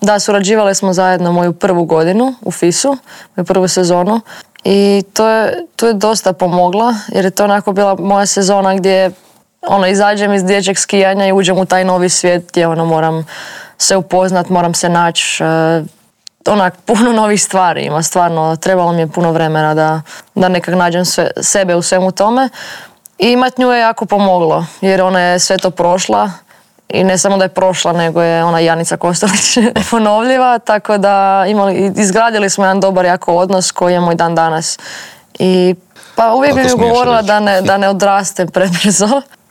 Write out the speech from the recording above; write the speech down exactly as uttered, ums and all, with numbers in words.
Da, surađivali smo zajedno moju prvu godinu u Fisu, moju prvu sezonu i to je, to je dosta pomogla jer je to onako bila moja sezona gdje ono, izađem iz dječjeg skijanja i uđem u taj novi svijet gdje ono, moram se upoznat, moram se naći, uh, onak puno novih stvari ima, stvarno trebalo mi je puno vremena da, da nekak nađem sve, sebe u svemu tome i imat nju je jako pomoglo jer ona je sve to prošla. I ne samo da je prošla, nego je ona Janica Kostelić ponovljiva, tako da imali, izgradili smo jedan dobar jako odnos koji je moj dan danas. I pa uvijek bi mi govorila da ne, da ne odrastem prebrzo.